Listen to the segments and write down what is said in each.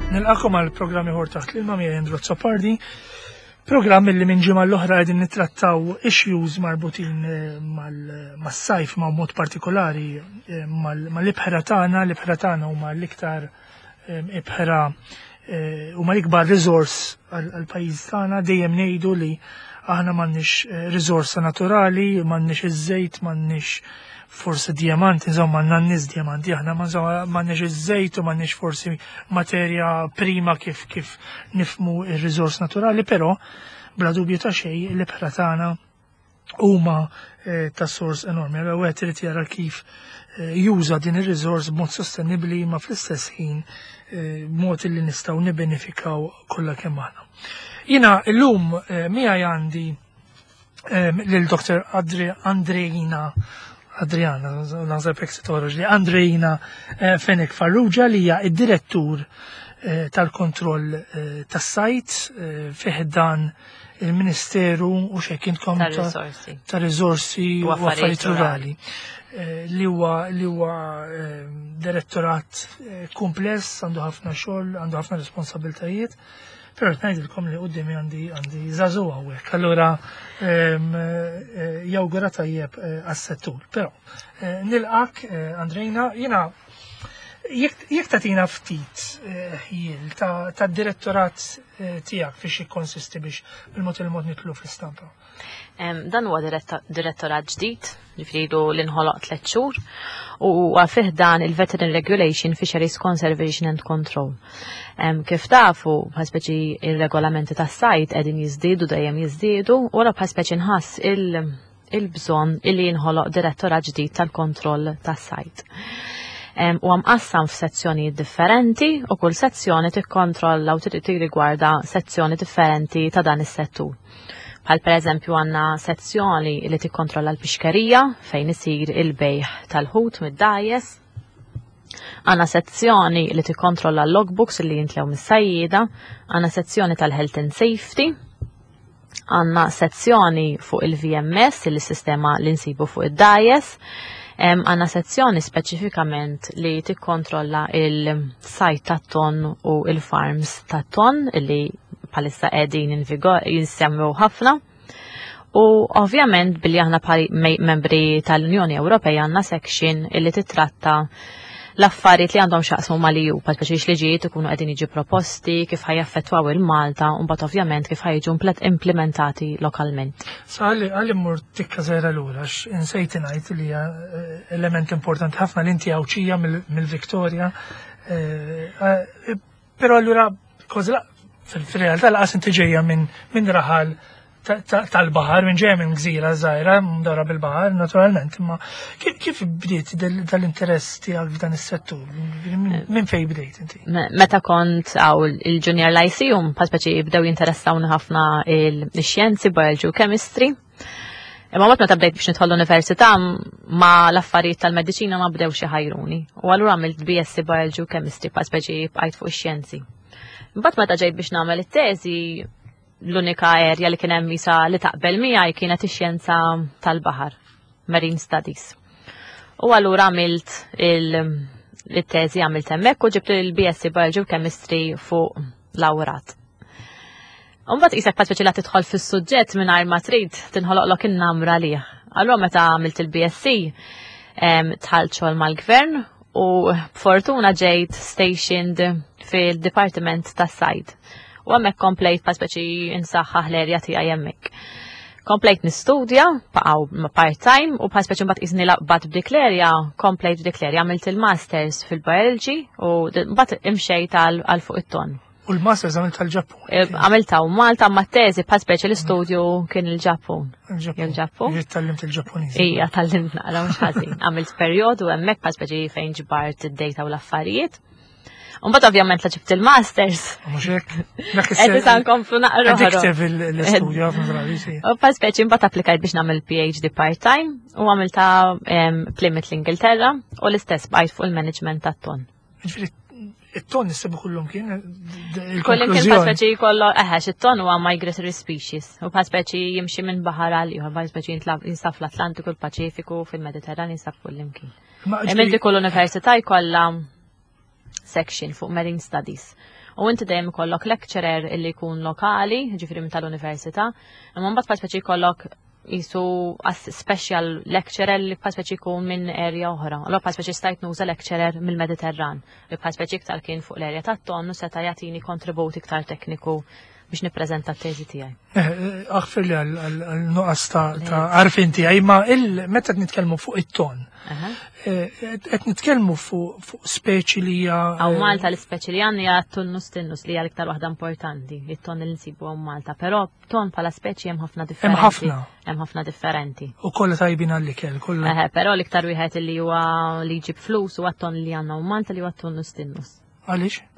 Nilqakom għal programm ieħor taħt l-ilma miegħi Andrew Azzopardi. Programm li minn ġimgħa l-oħra qegħdin nittrattaw issues marbutin eh, mas-sajf ma' mod partikolari eh, mal-ibħra tagħna, l-ibħra tagħna huma l-iktar eh, ibħra huma l-ikbar riżors għall-pajjiż tagħna dejjem ngħidu li aħna m'għandniex riżorsa naturali, m'għandniex iż-żejt, m'għandniex forsi diamanti, insomma għandna n-nies diamanti, aħna ma insomma m'għandniex iż-żejt u m'għandniex forsi materja prima kif kif nifmu ir-riżors naturali, però bla dubju ta' xejn l-ibħra tagħna huma eh, ta' sors enormi. Allora wieħed irid jara kif eh, juża din ir-riżors b'mod sostenibbli ma fl-istess ħin eh, b'mod li nistgħu nibbenefikaw kollha kemm aħna. Jiena llum miegħi għandi lil Dr. Andreina Adriana, naħseb hekk se toħroġ li Andreina Fenek Farrugia li hija id-direttur tal-kontroll tas-sajt fih dan il-Ministeru u xek intkom ta' riżorsi u affarijiet rurali li huwa li huwa direttorat kumpless, għandu ħafna xogħol, għandu ħafna responsabiltajiet. Però qed ngħidilkom li quddiemi għandi għandi żagħżugħ hawnhekk. Allura jawgura tajjeb għas-settur. Però nilqak Andrejna, jiena jekk tagħtina ftit ħjiel ta' direttorat tiegħek fiex jikkonsisti biex bil-mod il-mod nitlu fl-istampa. Dan huwa direttorat ġdid, ġifieri l-inħoloq tliet xhur, u huwa fih dan il-Veterinary Regulation Fisheries Conservation and Control. Kif tafu, bħal speċi il-regolamenti tas-sajt qegħdin jiżdiedu dejjem jiżdiedu, u għala bħal speċi nħass il-bżonn illi jinħoloq direttorat ġdid tal-kontroll tas-sajt. U mqassam f'sezzjonijiet differenti u kull sezzjoni tikkontrolla u tirrigwarda sezzjoni differenti ta' dan is-settur. Bħal per eżempju għandna sezzjoni li tikkontrolla l-pixkerija fejn isir il-bejħ tal-ħut mid-dgħajjes. Għandna sezzjoni li tikkontrolla l-logbooks li jintlew mis-sajjieda, għandna sezzjoni tal-health and safety, għandna sezzjoni fuq il-VMS, il-sistema li nsibu fuq id-dgħajjes, għandna sezzjoni speċifikament li tikkontrolla il-sajt tat-ton u il-farms tat-ton li bħalissa qegħdin in vigor jinsemmew ħafna. U ovvjament billi aħna bħal membri tal-Unjoni Ewropea għandna section illi titratta l-affarijiet li għandhom x'jaqsmu mal-EU, bħal speċi liġijiet ikunu qegħdin jiġu proposti, kif ħa jaffettwaw il-Malta, u mbagħad ovvjament kif ħa jiġu implementati lokalment. Sa għalli mmur tikka żgħira lura, insejt ngħid li hija element importanti ħafna li inti Għawdxija mill-Victoria. Però allura kważi fil-realtà laqas inti ġejja minn raħal tal-baħar, minn ġejja minn gżira żgħira, mdawra bil-baħar, naturalment, imma kif bdiet dal-interess tiegħek f'dan is-settur? Minn fejn bdejt inti? Meta kont għaw il-Junior Lyceum, bħal speċi bdew jinteressawni ħafna il-xjenzi, biology u chemistry. Imma waqt meta bdejt biex nidħol l-università ma l-affarijiet tal-mediċina ma bdew xi ħajruni. U allura għamilt BSc Biology u Chemistry bħal speċi bqajt fuq ix-xjenzi. Mbagħad meta ġejt biex nagħmel it-teżi l-unika area li kien hemm isa li taqbel miegħi kienet ix-xjenza tal-baħar, Marine Studies. U allura għamilt il-teżi għamilt hemmhekk u ġibt il-BSc Biology u Chemistry fuq lawrat. Umbagħad qisek bħal speċi la tidħol fis-suġġett mingħajr ma trid tinħoloqlok in-namra lih. Allura meta għamilt il-BSc dħalt xogħol mal-gvern u b'fortuna ġejt stationed fil-Dipartiment tas-Sajd. U hemmhekk komplejt bħal speċi insaħħaħ l-erja tiegħi hemmhekk. Komplejt nistudja, baqgħu part-time u bħal speċi mbagħad qisni laqbat b'dik l-erja, komplejt b'dik l-erja, għamilt il-masters fil-biology u mbagħad imxejt għal fuq it-ton. U l-masters għamilt tal-Ġappun. Għamilta u Malta ma teżi bħal speċi l-istudju kien il-Ġappun. Il-Ġappun. Tallimt il-Ġappuniż. Ija, tallimt naqra mhux ħażin. Għamilt perjodu hemmhekk bħal speċi fejn ġbart id-data u l-affarijiet. Umbagħad ovvjament la ġibt il-masters. Mhux hekk. Qed issa nkomplu naqra. Addictive l-istudju ħafna drabi. U bħal speċi mbagħad applikajt biex nagħmel PhD part-time u għamilta Plymouth l-Ingilterra u l-istess bqajt fuq il-management tat-ton. Ġifieri it-ton nissibu kullum kien. Kullum kien bħal speċi kollu, eħe, it-ton huwa migratory species. U bħal speċi jimxi minn baħar għal ieħor, bħal speċi jinsab fl-Atlantiku, l-Paċifiku, fil-Mediterran jinsab kullimkien. Imma kull università jkollha section fuq Marine Studies. U inti dejjem ikollok lecturer illi jkun lokali, ġifieri minn tal-università, imma mbagħad bħal speċi jkollok jisu special lecturer li bħal speċi jkun minn area oħra. Allora bħal speċi stajt nuża lecturer mill-Mediterran li bħal speċi iktar kien fuq l-area tat-ton u seta' jagħtini kontribut iktar tekniku biex nippreżenta t-teżi tiegħi. Eh, eh, aħfir li għal-nuqqas ta' għarfien tiegħi, ma meta qed nitkellmu fuq it-ton, eh, qed nitkellmu fuq speċi li hija. Hawn Malta l-ispeċi li għandna hija tunnus tinnus li hija l-iktar waħda importanti, it-ton li nsibu hawn Malta, però ton bħala speċi hemm ħafna differenti. Hemm ħafna. Hemm ħafna differenti. U kollha tajbin għall-ikel, kollha. Però l-iktar wieħed li huwa li jġib flus huwa t-ton li għandna hawn Malta li huwa tunnus tinnus. Għaliex?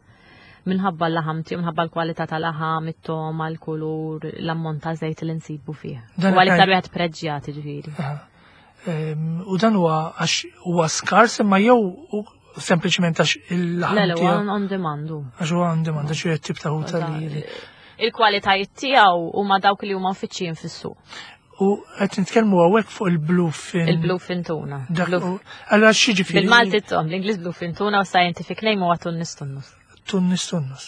Minħabba l-laħam tiegħu, minħabba l-kwalità tal-laħam, it-toma, l-kulur, l-ammont ta' żejt li nsibu fih. Huwa l-iktar wieħed preġjat ġifieri. U dan huwa għax huwa skars imma jew sempliċement għax il-laħam. Le, le, huwa on demand. Għax huwa on demand, għax huwa tip ta' ħuta li. Il-kwalitajiet tiegħu huma dawk li huma mfittxijin fis-suq. U qed nitkellmu hawnhekk fuq il-bluefin. Il-bluefin tuna. Allora x'jiġifieri? Bil-Malti tom, l-Ingliż bluefin tuna u scientific name huwa tunnus tunnus. Tunnus tunnus.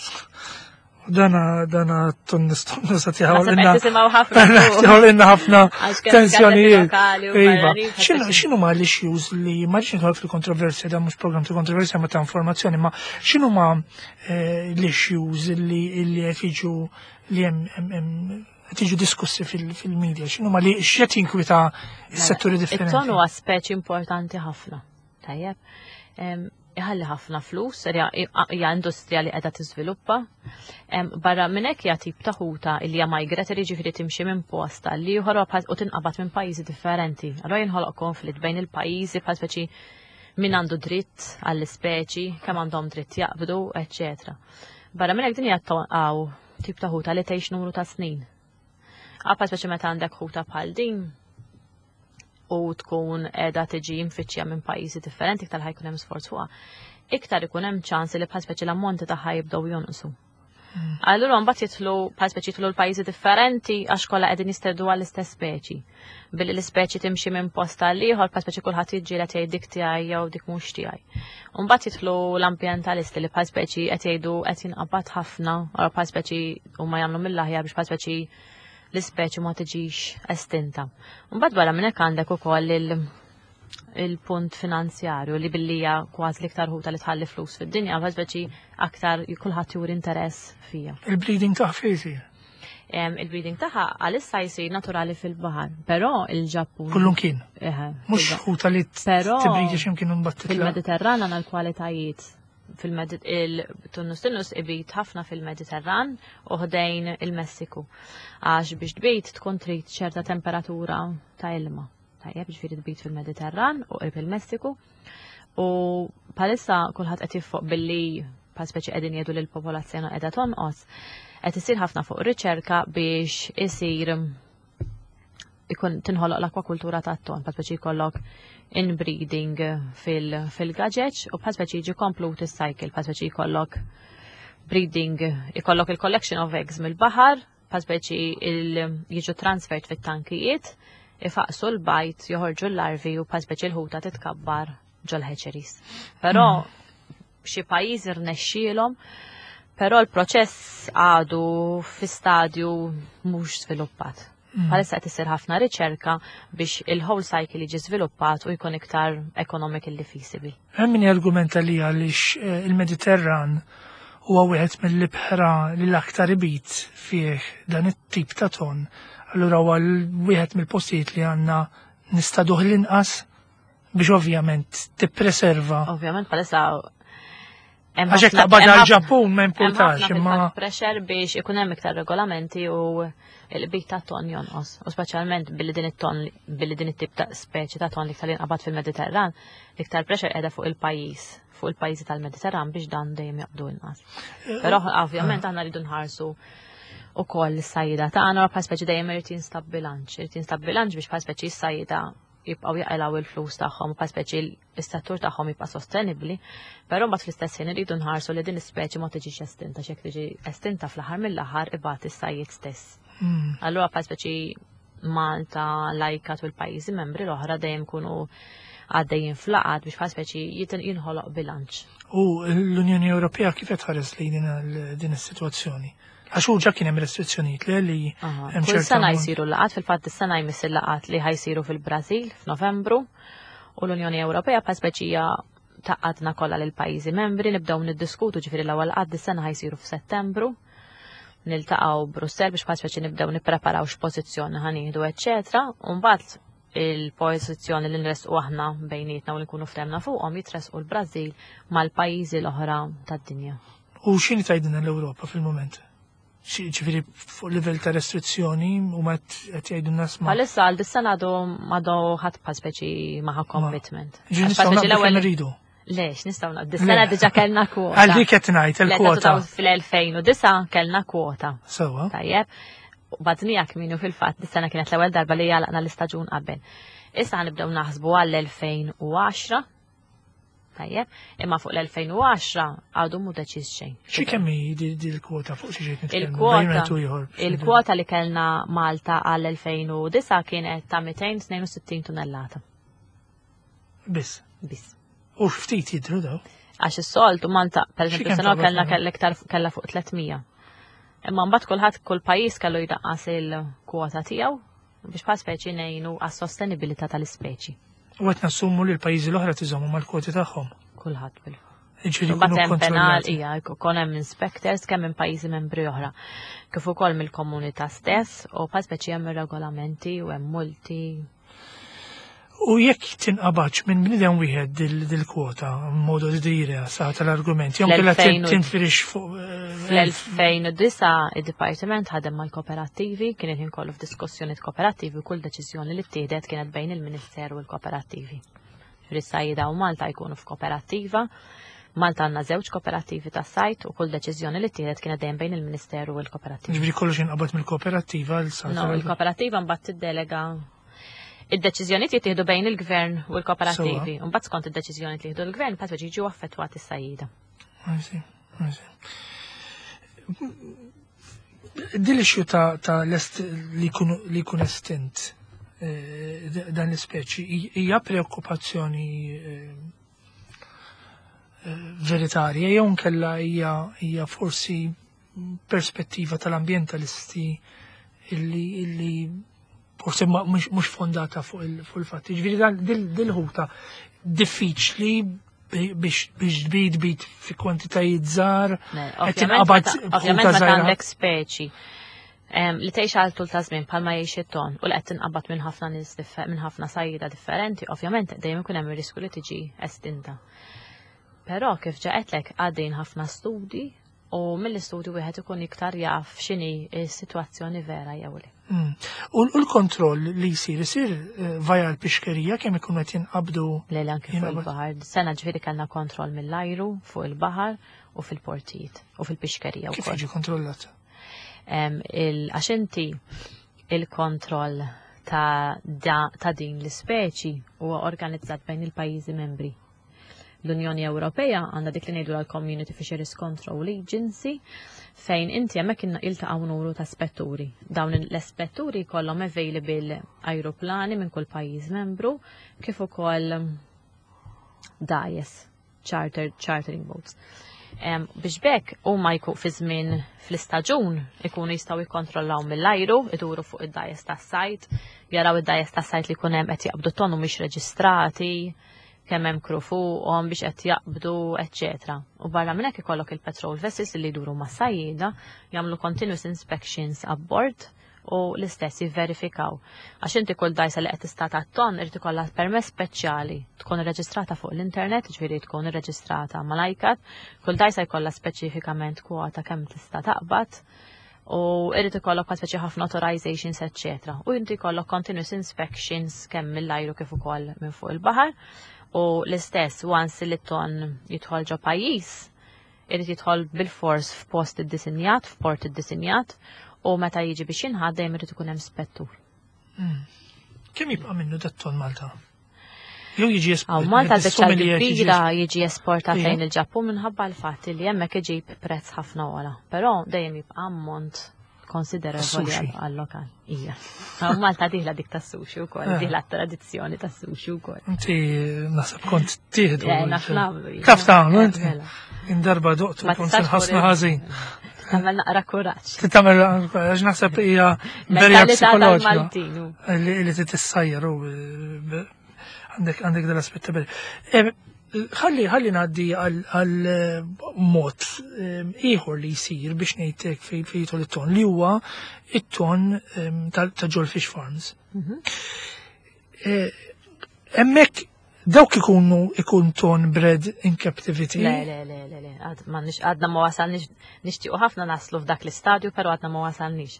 Dana dana tunnus tunnus qed jħawlilna. Tisimgħu ħafna. Jħawlilna ħafna tensjonijiet. Iva. X'inhu ma l-issues li ma rridx nidħol fil-kontroversja dan mhux programm ta' kontroversja ma ta' informazzjoni, ma x'inhu ma eh, l-issues li qed jiġu li hemm qed jiġu diskussi fil-media, x'inhu ma li x'qed jinkwita s-setturi mela, differenti. It-ton huwa speċi importanti ħafna. Tajjeb. Iħalli ħafna flus, hija industrija li qiegħda tiżviluppa. Barra minn hekk hija tip ta' ħuta li hija migratory ġifieri timxi minn post għal ieħor u tinqabad minn pajjiżi differenti. Allura jinħoloq konflitt bejn il-pajjiżi bħal speċi min għandu dritt għall-ispeċi, kemm għandhom dritt jaqbdu, eċċetera. Barra minn hekk din hija tip ta' ħuta li tgħix numru ta' snin. Għapa speċi meta għandek ħuta bħal din u tkun qiegħda tiġi mfittxija minn pajjiżi differenti iktar ħajkun hemm sforz fuqha. Iktar ikun hemm ċans li bħal speċi l-ammonti tagħha jibdew jonqsu. Allura mbagħad jidħlu bħal speċi jidħlu l-pajjiżi differenti għax kollha qegħdin jisteddu għall-istess speċi. Billi l-ispeċi timxi minn post għal ieħor bħal speċi kulħadd jiġġieled jgħid dik tiegħi jew dik mhux tiegħi. U mbagħad jidħlu l-ambjentalisti li bħal speċi qed jgħidu qed jinqabad ħafna, u bħal speċi huma jagħmlu mill-aħjar biex bħal speċi l-ispeċi ma tiġix estinta. Mbagħad barra minn hekk għandek ukoll il-punt finanzjarju li billi hija kważi l-iktar ħuta li tħalli flus fid-dinja, bħal speċi aktar kulħadd juri interess fija. Il-breeding tagħha fejn isir? Il-breeding tagħha għalissa jsir naturali fil-baħar, però il-Ġappun. Kullum kien. Mhux ħuta li tibridi x'imkien imbagħad titla'. Fil-Mediterran għandna l-kwalitajiet fil-Tunnus Tunnus ibit ħafna fil-Mediterran u ħdejn il-Messiku. Għax biex tbit tkun trid ċerta temperatura ta' ilma. Tajjeb, ġifieri tbit fil-Mediterran u qrib il-Messiku. U bħalissa kulħadd qed jiffoq billi bħal speċi qegħdin jgħidu li l-popolazzjoni qiegħda tonqos, qed isir ħafna fuq riċerka biex isir ikun tinħoloq l-akwakultura tat-ton, bħal speċi jkollok inbreeding fil-gaġeġ u bħal speċi jiġi komplut is-cycle, bħal speċi jkollok breeding, ikollok il-collection of eggs mill-baħar, bħal speċi jiġu transferred fit-tankijiet, ifaqsu l-bajt, joħorġu l-larvi u bħal speċi l-ħuta titkabbar ġol-hatcheries. Però xi pajjiżi rnexxielhom, però l-proċess għadu fi stadju mhux sviluppat. Bħalissa qed isir ħafna riċerka biex il-whole cycle jiġi żviluppat u jkun iktar economically feasible. Hemm min jargumenta li għaliex eh, il-Mediterran huwa wieħed mill-ibħra li l-aktar ibit fih dan it-tip ta' ton, allura huwa wieħed mill-postijiet li għandna nistaduh l-inqas biex ovvjament tippreserva. Ovvjament bħalissa Għax hekk taqbad għal-Ġappun ma importax imma. Pressure biex ikun hemm iktar regolamenti u l-bit ta' ton jonqos. U speċjalment billi din it-ton billi din it-tip ta' speċi ta' ton li iktar jinqabad fil-Mediterran, iktar pressure qiegħda fuq il-pajjiż, fuq il-pajjiżi tal-Mediterran biex dan dejjem jaqbdu inqas. Eh, Però ovvjament aħna rridu nħarsu u koll s-sajda tagħna bħal speċi dejjem irid jinstab bilanċ, irid jinstab bilanċ biex bħal speċi s-sajda jibqgħu jaqilgħu il-flus tagħhom u bħal speċi s-settur tagħhom jibqa' sostenibbli, però mbagħad fl-istess ħin iridu nħarsu li din l-ispeċi ma tiġix estinta x'jekk tiġi estinta fl-aħħar mill-aħħar ibati s-sajjied stess. Allura bħal speċi Malta, l-ICCAT u l-pajjiżi membri l-oħra dejjem kunu Għaddejjin f'laqgħat biex bħal speċi jinħoloq bilanċ. U l-Unjoni Ewropea kif qed tħares lejn din is-sitwazzjoni? Għax hu ġa kien hemm restrizzjonijiet li li hemm Kull sena jsiru laqgħat, fil-fatt is-sena jmiss il-laqgħat li ħajsiru fil-Brażil f'Novembru u l-Unjoni Ewropea bħal speċija taqadna kollha lil pajjiżi membri nibdew niddiskutu ġifieri l-ewwel qatt dis-sena ħajsiru f'Settembru niltaqgħu Brussell biex bħal speċi nibdew nippreparaw x'pożizzjoni ħanieħdu eċċetera u mbagħad il-pożizzjoni li nresqu aħna bejnietna u li nkunu ftemna fuqhom jitresqu l-Brażil mal-pajjiżi l-oħra tad-dinja. U x'inhi tgħidilna l-Ewropa fil-mument? Ġifieri fuq livell ta' restrizzjoni u ma qed jgħidu nas ma. Bħalissa għal dis-sena għadu għadu ħadd bħal speċi maħa commitment. Ġifieri nistgħu naqbdu kemm irridu. Lex, nistgħu naqbdu. Dis-sena diġà kellna kwota. Għal dik qed ngħid il-kwota. Fil-2009 kellna kwota. Sewwa. Tajjeb. Badnija kminu fil-fatt, dis-sena kienet l-ewwel darba li għalaqna l-istaġun qabel. Issa nibdew naħsbu għall-2010. Tajjeb, imma fuq l-2010 għadu mu deċiż xejn. Xi kemm hi di l-kwota fuq xi ġejt nitkellmu? Il-kwota li kellna Malta għall-2009 kienet ta' 262 tunnellata. Biss. Biss. U ftit jidhru daw. Għax is-soltu Malta, per eżempju, sena kellna kellha iktar kellha fuq 300. Imma mbagħad kulħadd kull pajjiż kellu jdaqqas il-kwota tiegħu biex bħal speċi ngħinu għas-sostenibilità tal-ispeċi. U qed nassumu li l-pajjiżi l-oħra tiżommu mal-kwoti tagħhom. Kulħadd bil. Ġifieri hemm penal, hija, jkun hemm inspectors kemm minn pajjiżi membri oħra. Kif ukoll mill-komunità stess u bħal speċi hemm ir-regolamenti u hemm multi. U jekk tinqabadx minn bniedem wieħed dil-kwota, modo di dire, sa tal-argument, jew kellha tinfirix fuq. Fl-2009 id-Dipartiment ħadem mal-kooperattivi, kien il-ħin kollu f'diskussjonijiet kooperattivi u kull deċiżjoni li ttieħdet kienet bejn il-Ministeru u l-kooperattivi. Ris-sajjieda u Malta jkunu f'kooperattiva. Malta għandna żewġ kooperattivi tas-sajd u kull deċiżjoni li ttieħdet kienet dejjem bejn il-Ministeru u l-kooperattivi. Ġifieri kollox jinqabad mill-kooperattiva l sa. No, il-kooperattiva mbagħad tiddelega Id-deċiżjonijiet jittieħdu bejn il-gvern u l-kooperattivi. Mbagħad skont id-deċiżjoni li jieħdu l-gvern, mbagħad jiġu affettwati s-sajjida. Din l-issue ta' lest li jkun estint eh, dan l-ispeċi hija preokkupazzjoni eh, eh, veritarja jew nkella hija forsi perspettiva tal-ambjentalisti illi illi forsi mhux fondata fuq il-fatti. Ġifieri dil-ħuta diffiċli biex tbid bid fi kwantitajiet żgħar. Ovvjament meta għandek speċi li tgħix għal tul ta' żmien bħalma jgħix it-ton u li qed tinqabad minn ħafna nies minn ħafna sajjida differenti, ovvjament dejjem ikun hemm ir-riskju li tiġi estinta. Però kif ġa għedtlek għaddejjin ħafna studi u mill-istudju wieħed ikun iktar jaf x'inhi s-sitwazzjoni vera jew le. U l-kontroll li jsir isir eh, vaja l-pixkerija kemm ikun qed jinqabdu? Le anke fuq il-baħar. Sena ġifieri kellna kontroll mill-ajru fuq il-baħar u fil-portijiet u fil-pixkerija Kif jiġi kontrollat? Għax inti il-kontroll ta', ta din l-ispeċi huwa organizzat bejn il-pajjiżi membri. L-Unjoni Ewropea għandha dik li ngħidu l-Community Fisheries Control Agency fejn inti hemmhekk iltaqgħu numru ta' spetturi. Dawn l-ispetturi jkollhom available ajruplani minn kull pajjiż membru kif ukoll dgħajjes, charter, chartering boats. Biex bekk huma jkun fi żmien fl-istaġun ikunu jistgħu jikkontrollaw mill-ajru, iduru fuq id-dgħajjes tas-sajd, jaraw id-dgħajjes tas-sajd li jkun hemm qed jaqbdu ton u mhix reġistrati, kemm hemm crew fuqhom biex qed jaqbdu, eċċetera. U barra minn hekk ikollok il-patrol vessels li jduru ma' sajjieda, jagħmlu continuous inspections abbord u l-istess jivverifikaw. Għax inti kull dgħajsa li qed tistad għat-tonn irid ikollha permess speċjali, tkun irreġistrata fuq l-internet, jiġifieri tkun irreġistrata mal-ICAT, kull dgħajsa jkollha speċifikament kwota kemm tista' taqbad u irid ikollok bħal speċi ħafna authorizations eċċetera. U inti jkollok continuous inspections kemm mill-ajru kif ukoll minn fuq il-baħar. U l-istess once li ton jidħol ġo pajjiż, irid jidħol bil-fors f'post iddisinjat, f'port iddisinjat, u meta jiġi biex jinħadd dejjem irid ikun hemm spettur. Kemm jibqa' minnu dat-ton Malta? Jew jiġi esportat. Malta biċċa kbira jiġi esportat lejn il-Ġappun minħabba l-fatt li hemmhekk iġib prezz ħafna ogħla. Però dejjem jibqa' ammont konsiderevoli għal-lokal. Ija. Malta diħla dik tas sushi wkoll, eh. diħla tradizzjoni tas sushi wkoll. Inti naħseb kont tieħdu. Eh, naf nagħmlu. Taf tagħmlu inti. Mela. Indarba doqtu kont ħafna ħażin. Tagħmel naqra kuraġġ. Tagħmel għax naħseb hija berja psikoloġika. Li tissajjar u eh, għandek għandek dal-aspett ta' Ħalli ħalli ngħaddi għal eh, mod eh, ieħor li jsir biex ngħidlek fejn jidħol it-ton li huwa it-ton eh, ta' ġol fish farms. Mhm. Hemmhekk dawk ikunu ikun ton bred in captivity. Le, le, le, le, le, għadna ma wasalniex, nixtiequ ħafna naslu f'dak l-istadju, però għadna ma wasalniex.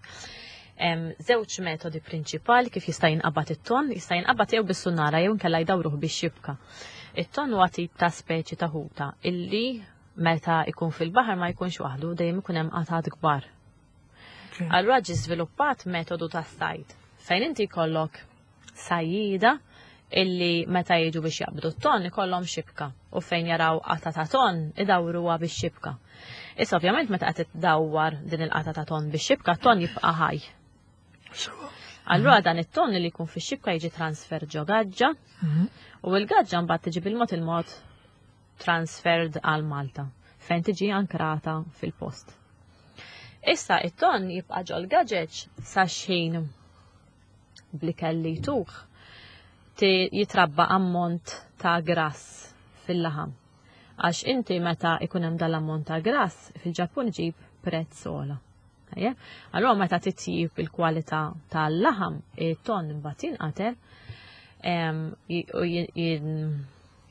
Żewġ metodi prinċipali kif jista' jinqabad it-ton, jista' jinqabad jew bis-sunnara jew inkella jdawruh bix-xibka. It-ton huwa tip ta' speċi ta' ħuta illi meta ikun fil-baħar ma jkunx waħdu, dejjem ikun hemm qatgħat kbar. Allura ġie żviluppat metodu ta' sajd fejn inti jkollok sajjida illi meta jiġu biex jaqbdu t-ton ikollhom xibka u fejn jaraw qata ta' ton idawruha bix-xibka. Issa ovvjament meta qed iddawwar din il-qata ta' ton bix-xibka, ton jibqa' ħaj. Allura dan it-ton li jkun fix-xibka jiġi transfer ġo gaġġa mhm. u l-gaġġa mbagħad tiġi bil-mod il-mod transferred għal Malta fejn tiġi ankrata fil-post. Issa it-ton jibqa' ġol gaġeġ sa xħin bl-ikel li jtuh jitrabba ammont ta' grass fil-laħam. Għax inti meta ikun hemm dal-ammont ta' grass fil-Ġappun ġib prezz ogħla. Allura meta titjib il-kwalità tal-laħam, it-ton imbagħad jinqatel u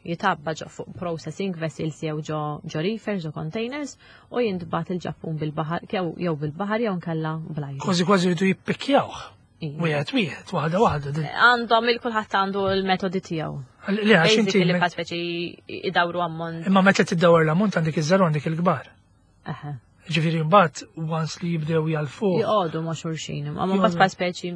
jitabba ġo fuq processing vessels jew ġo ġo reefers ġo containers u jintbagħat il-Ġappun bil-baħar jew bil-baħar jew nkella bl-ajru. Kważi kważi jridu jippikkjawh. Wieħed wieħed, waħda waħda. Għandhom il-kulħadd għandu l-metodi tiegħu. Li għax inti li bħal speċi idawru ammont. Imma meta tiddawar l-ammont għandek iż-żar għandek il-kbar. Ġifieri mbagħad once li jibdew jalfu. Joqogħdu ma' xulxin, imma mbagħad bħal speċi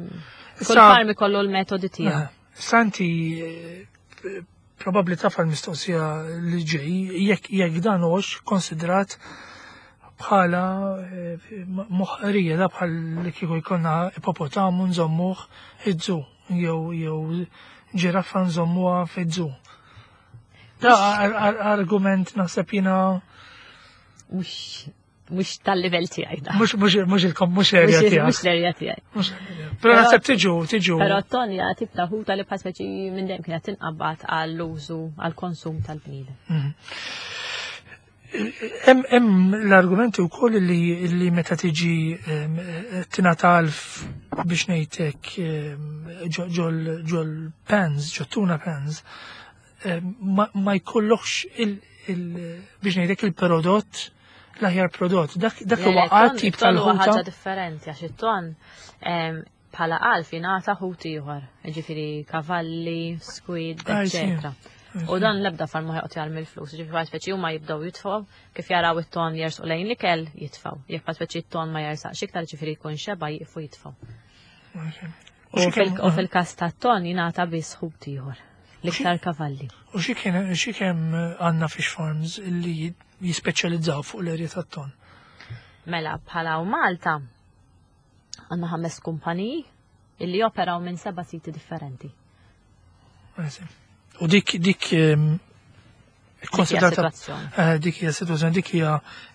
kull farm ikollu l-metodi tiegħu. Santi eh, probabbli taf għal-mistoqsija li ġej, jekk jekk dan hux konsidrat bħala eh, moħqrija da bħal li kieku jkollna ipopotamu nżommuh iż-żu jew jew ġiraffa nżommuha fiż-żu. Da argument naħseb jiena mhux mhux tal-livell tiegħi da. Mhux mhux mhux il-kom mhux l-erja tiegħek. Mhux l-erja tiegħi. Però naħseb tiġu tiġu. Però Tonja tip ta' ħuta li bħal speċi minn dejjem kienet tinqabad għall-użu għall-konsum tal-bniedem. Mhm. Hemm l-argumenti wkoll li li meta tiġi tingħata biex ngħidlek ġol pans, ġol tuna pans, ma jkollokx biex ngħidlek il-prodott l-aħjar prodott. Dak dak huwa qatt tip tal-ħuta. Ħaġa differenti għax it-ton bħala qalf jingħata ħut ieħor, ġifieri kavalli, squid, eċetera. U dan l-ebda farm ma joqgħod jarmi l-flus, ġifieri bħal speċi huma jibdew jitfgħu, kif jaraw it-ton jersqu lejn l-ikel jitfgħu. Jekk bħal speċi t-ton ma jersaqx iktar ġifieri jkun xeba jieqfu jitfgħu. U fil-każ tat-ton jingħata biss ħut ieħor. L-iktar kavalli. U xi kien xi kemm għandna fish farms li jispeċjalizzaw fuq l-erja tat-ton? Mela bħala u Malta għandna ħames kumpaniji illi operaw minn seba' siti differenti. U dik dik ehm, konsidrata eh, dik hija situazzjoni dik hija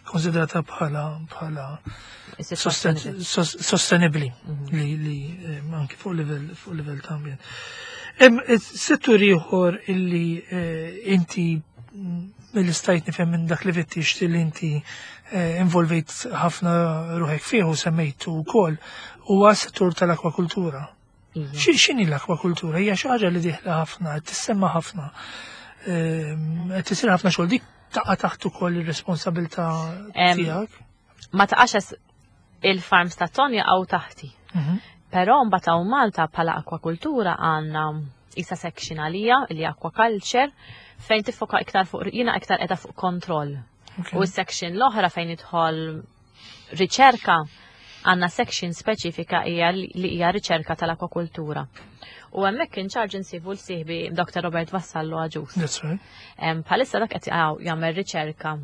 konsidrata bħala bħala sostenibbli mhm. li li eh, anki fuq livell fuq livell ta' ambjent. Hemm eh, settur ieħor illi inti mm, mill-istajt nifhem minn dak li fittix li inti involvejt ħafna ruħek fih u semmejtu wkoll huwa settur tal-akwakultura. Iva. X'inhi l-akwakultura? Hija xi ħaġa li dieħla ħafna, qed tissemma ħafna. Ehm, qed isir ħafna xogħol dik taqa' taħt ukoll ir-responsabilità tiegħek. Ma taqax il-farms ta' ton jaqgħu taħti. Mhm. Però mbagħad hawn Malta bħala akwakultura għandna isa section għalija li aquaculture fejn tiffoka iktar fuq jiena iktar qiegħda fuq kontroll. U s-section l-oħra fejn idħol riċerka għandna section speċifika hija li hija riċerka tal-akwakultura. U hemmhekk in charge insibu l-sieħbi Dr. Robert Vassallo Aġus. That's right. Bħalissa dak qed jagħmel riċerka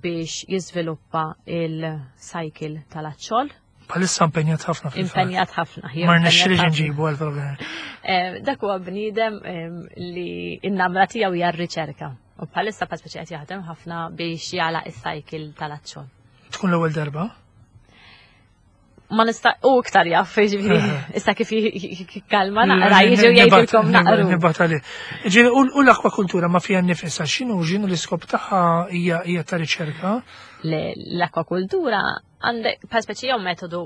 biex jiżviluppa il-cycle tal-aċċol. Bħalissa impenjat ħafna fil Impenjat ħafna. Ma rnexxilix nġibu għal-programm. Dak huwa bniedem li n-namra tiegħu hija r-riċerka. U bħalissa bħal speċi qed jaħdem ħafna biex jagħlaq is-cycle tal-azzjon. Tkun l-ewwel darba? Ma nista' u iktar jaf, ġifieri, issa kif kalma naqra jiġu jgħidilkom naqru. Nibgħat għalih. Ġifieri u l-akwakultura ma fiha nnifisha x'inhu x'inhu l-iskop tagħha hija ta' riċerka? L-akwakultura għandek bħal speċi jew metodu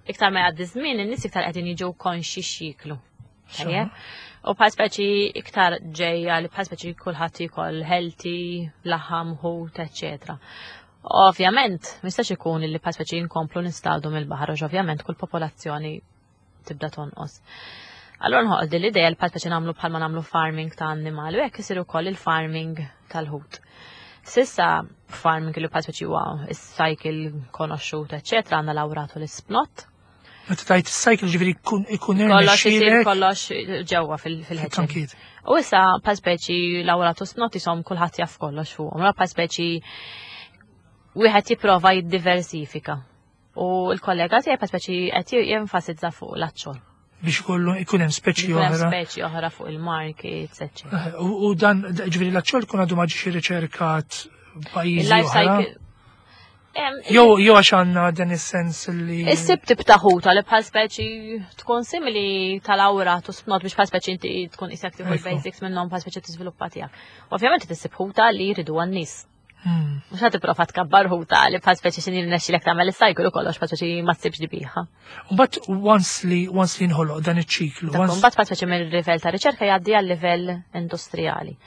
iktar ma jgħaddi żmien in-nies iktar qegħdin jiġu konxi x'jiklu. U bħal speċi iktar ġejja li bħal speċi kulħadd jkoll healthy, laħam, ħut, eċetera. Ovvjament, mistax ikun li bħal speċi nkomplu nistadu mill-baħar, għax ovvjament kull popolazzjoni tibda tonqos. Allora nħoq din l-idea li bħal speċi nagħmlu bħalma nagħmlu farming ta' annimali u hekk isir ukoll il-farming tal-ħut. Sissa farming li bħal speċi huwa is-cycle konoxxut, eċetera, għandna lawratu l-isplot. Meta tajt is-cycle ġifieri ikun Kollox isir kollox ġewwa fil-ħeċ. U issa bħal speċi lawratu snot isom kulħadd jaf kollox fuqhom. Bħal speċi wieħed jipprova jiddiversifika. U l-kollega tiegħi bħal speċi qed jenfasizza fuq l-aċċol. Biex ikollu ikun hemm speċi oħra. Speċi oħra fuq il-markets, eċċetera. U dan ġifieri l-aċċol kun għadu ma ġiex irriċerkat pajjiżi oħra. Jew jew għax għandna dan is-sens li. Issib tip ta' ħuta li bħal speċi tkun simili tal-awra tu spnot biex bħal speċi inti tkun isek tieħu l-basics minnhom bħal speċi tiżviluppa tiegħek. Ovvjament tissib ħuta li jridu għan-nies. Mhux ħad tipprova tkabbar ħuta li bħal speċi x'inhi rnexxilek tagħmel is-cycle u kollox bħal speċi ma tsibx dibiħa. Mbagħad once li once li nħoloq dan iċ-ċiklu. Mbagħad bħal speċi mill-livell ta' riċerka jgħaddi għal livell industrijali.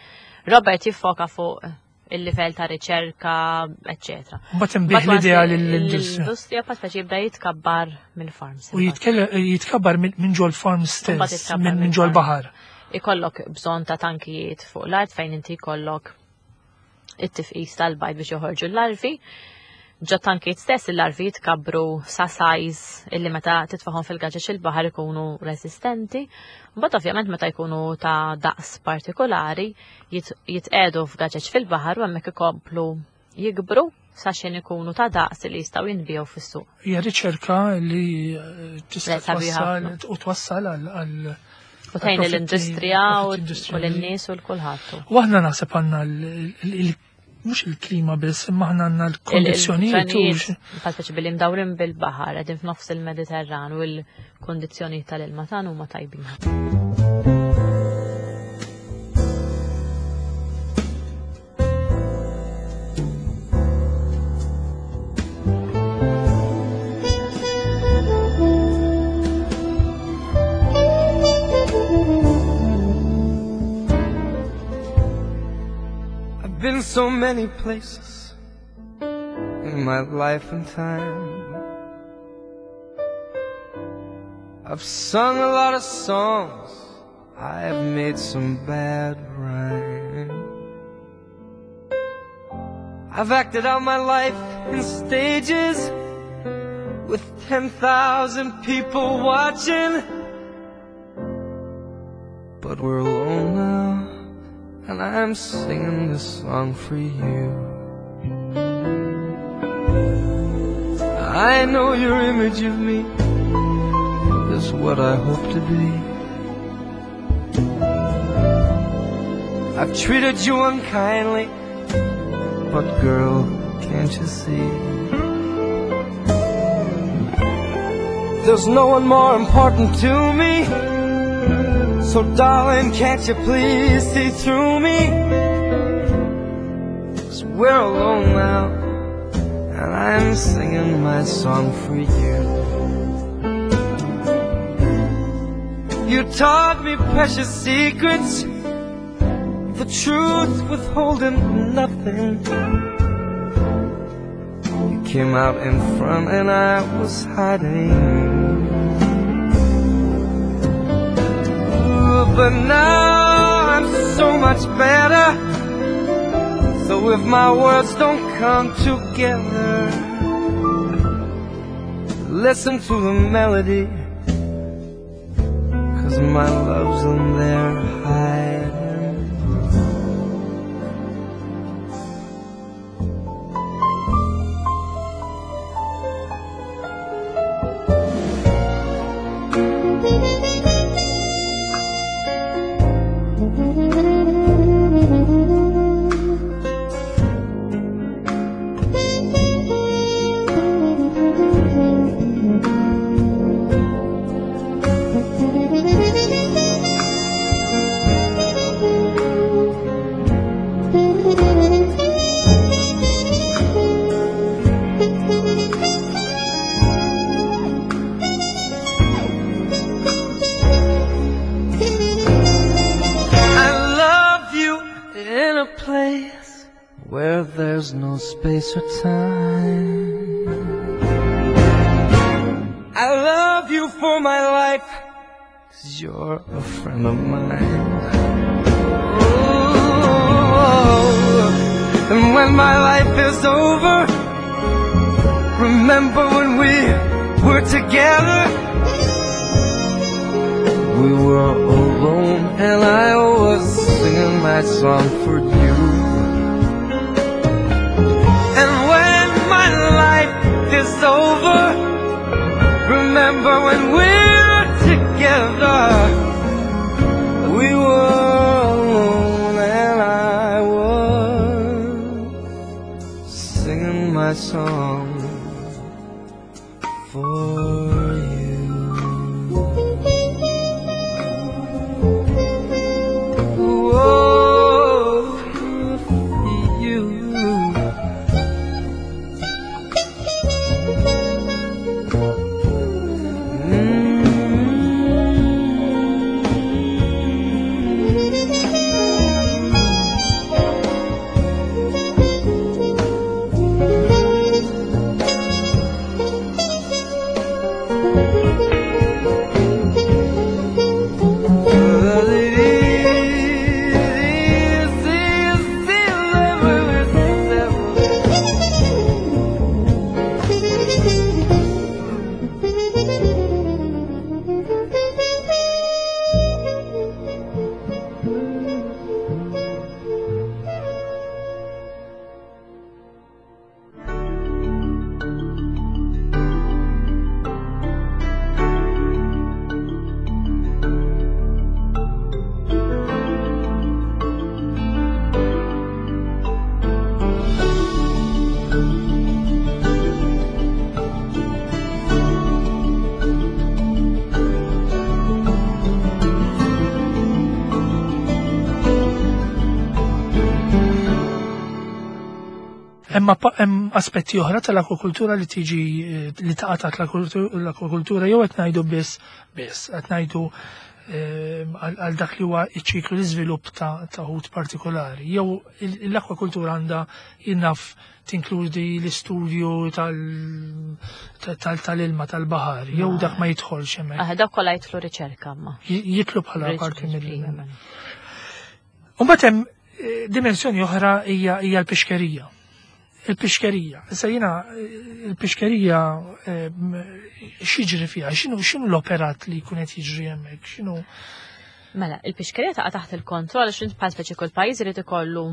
Robert jiffoka fuq il-livell ta' riċerka, eccetera. Mbagħad inbih l-idea lill-industrija. L-industrija bħal speċi jibda jitkabbar mill-farms. U jitkabbar minn ġol farms stess, minn ġol baħar. Ikollok bżonn ta' tankijiet fuq l-art fejn inti jkollok it-tifqis tal-bajd biex joħorġu l-larvi. Ġo tankijiet stess il-larvi jitkabbru sa size illi meta titfahom fil-gaġeġ il-baħar ikunu resistenti. Mbagħad ovvjament meta jkunu ta' daqs partikolari jitqegħdu f'gaġeġ fil-baħar u hemmhekk ikomplu jikbru sa xejn ikunu ta' daqs li jistgħu jinbiegħu fis-suq. Hija riċerka li tista' twassal u twassal għal U tgħin l-industrija u l-nies u l-kulħadd. U aħna naħseb għandna mhux il-klima biss, imma aħna għandna l-kondizzjonijiet. Bħal billi mdawrin bil-baħar, qegħdin f'nofs il-Mediterran u l-kondizzjonijiet tal-ilma tagħna huma tajbin. I've been so many places in my life and time. I've sung a lot of songs, I have made some bad rhymes. I've acted out my life in stages with 10,000 people watching. But we're alone now, and I'm singing this song for you. I know your image of me is what I hope to be. I've treated you unkindly, but girl, can't you see? There's no one more important to me. So darling, can't you please see through me? 'Cause we're alone now, and I'm singing my song for you. You taught me precious secrets, the truth withholding nothing. You came out in front and I was hiding. Ooh, but now I'm so much better. So if my words don't come together, listen to the melody, 'cause my love's in there hiding. There's no space or time. I love you for my life, 'cause you're a friend of mine. Oh, and when my life is over, remember when we were together? We were alone and I was singing my song for you. And when my life is over, remember when we're together. We were alone and I was singing my song for you. Oh, for you. Imma hemm aspetti oħra tal-akwakultura li tiġi li taqa' taħt l-akwakultura jew qed ngħidu biss biss qed ngħidu għal dak li huwa ċ-ċiklu l-iżvilupp ta' ħut partikolari. Jew l-akwakultura għandha jinnaf tinkludi l-istudju tal-ilma tal-baħar, jew dak ma jidħolx hemmhekk. Ah, dak kollha jidħlu riċerka ma. Jidħlu bħala parti mill. Imbagħad hemm dimensjoni oħra hija l-pixkerija. Il-pixkerija. Issa jiena il-pixkerija x'jiġri fiha, x'inhu l-operat li jkun qed jiġri hemmhekk, x'inhu Mela, il-pixkerija taqa' taħt il-kontroll għax int bħal speċi kull pajjiż irid ikollu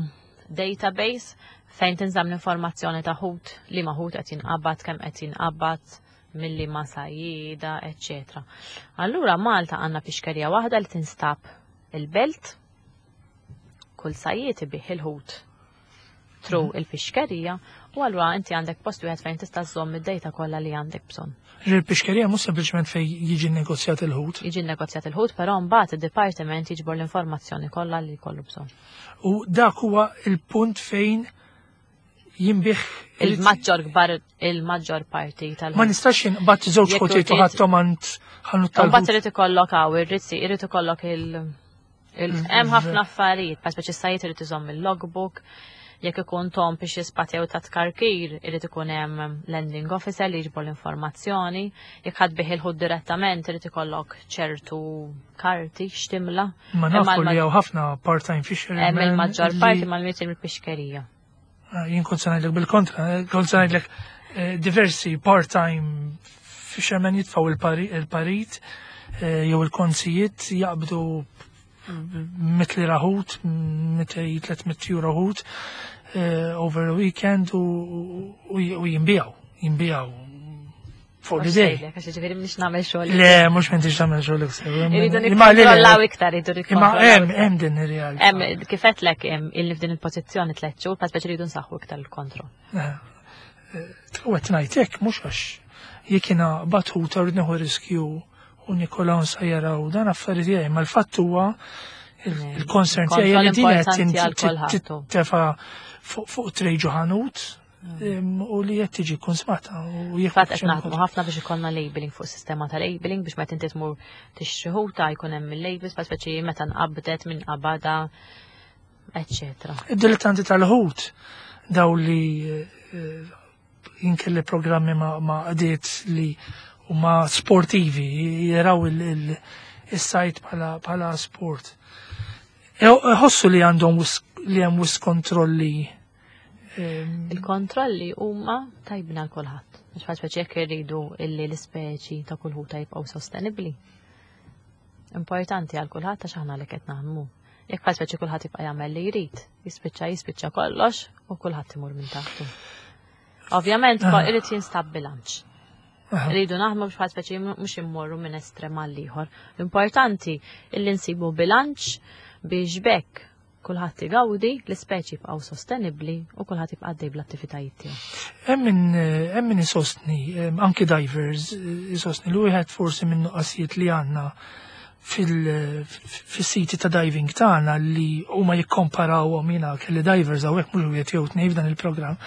database fejn tinżamm l-informazzjoni ta' ħut, li ma ħut qed jinqabad, kemm qed jinqabad, milli ma sajjida, eċċetera. Allura Malta għandna pixkerija waħda li tinstab il-belt, kull sajjied ibih il-ħut through il-pixkerija, u allura inti għandek post wieħed fejn tista' żżomm id-data kollha li għandek bżonn. Il-pixkerija mhux sempliċement fejn jiġi nnegozjat il-ħut. Jiġi nnegozjat il-ħut, però mbagħad id-dipartiment jiġbor l-informazzjoni kollha li jkollu bżonn. U dak huwa il-punt fejn jinbih il-maġġor kbar, il-maġġor parti tal- Ma nistax inqbad żewġ Jekk ħutiet u irid- ħadthom għand ħanut tal-ħut. Mbagħad irid ikollok hawn ir-rizzi, irid ikollok il- hemm ħafna affarijiet, bħal speċi sajt irid iżomm il-logbook, jekk ikun tom biex jispatjew ta' tkarkir, irid ikun hemm landing officer li jiġbor l-informazzjoni, jekk ħadd bih il-ħut direttament irid ikollok ċertu karti x'timla. Ma Hemm nafu li għal- hawn ħafna part-time fishermen Hemm il-maġġor li parti mal-miet il-pixkerija. Jien kont se ngħidlek bil-kontra, kont se ngħidlek diversi part-time fishermen jitfgħu il-parit jew il-konzijiet jaqbdu mitli raħut, mitli tliet mitt euro ħut over the weekend u jimbijaw for the day. Għax ġifieri mhix nagħmel xogħol. Le, mhux m'intix tagħmel xogħol iktar. Irridu Imma le, le, nikkontrollaw iktar, irridu Imma nikkontrollaw iktar. hemm din ir-realtà. Hemm, kif qedlek, hemm illi f'din il-pożizzjoni 3 xhur, pa speċi rridu nsaħħu iktar il-kontroll. U qed ngħid hekk mhux għax jekk jiena batħuta rrid nieħu riskju u Nikola nsajjara u dan affarijiet tiegħi, ma l-fatt huwa il-concern tiegħi li din qed Kontroll importanti għal kulħadd. tefa' fuq trejġu ħanut, u li qed tiġi konsmata u jekk Fatt qed xejn naħdmu ukoll. ħafna biex ikollna labeling fuq sistema ta' labeling biex meta inti tmur tixtri ħuta jkun hemm il-labels, pa speċi meta nqabdet minn qabada, eċċetera. Id-dilettanti tal-ħut Daw li jien kelli programmi ma' qdiet li huma sportivi, jaraw il-sajd bħala sport. Ħossu li għandhom li hemm wisq kontrolli. Il-kontrolli huma tajbin għal kulħadd. Mhux bħal speċi jekk irridu illi l-ispeċi ta' kull ħuta jibqgħu sostenibbli. Importanti għal kulħadd għax aħna li qed naħdmu. Jekk bħal speċi kulħadd jibqa' jagħmel li jrid, jispiċċa jispiċċa kollox u kulħadd imur minn taħtu. Ovvjament irid jinstab bilanċ. Rridu naħdmu biex bħal speċi mhux immorru minn estrem għal ieħor. L-importanti illi nsibu bilanċ biex bekk kulħadd igawdi, l-ispeċi jibqgħu sostenibbli u kulħadd jibqa' għaddej bl-attivitajiet tiegħu. Hemm min isostni, anki divers isostni li wieħed forsi minn nuqqasijiet li għandna fil-siti ta' diving tagħna li huma jikkomparawhom, jiena kelli divers hawnhekk mhux wieħed jew tnejn f'dan il-programm,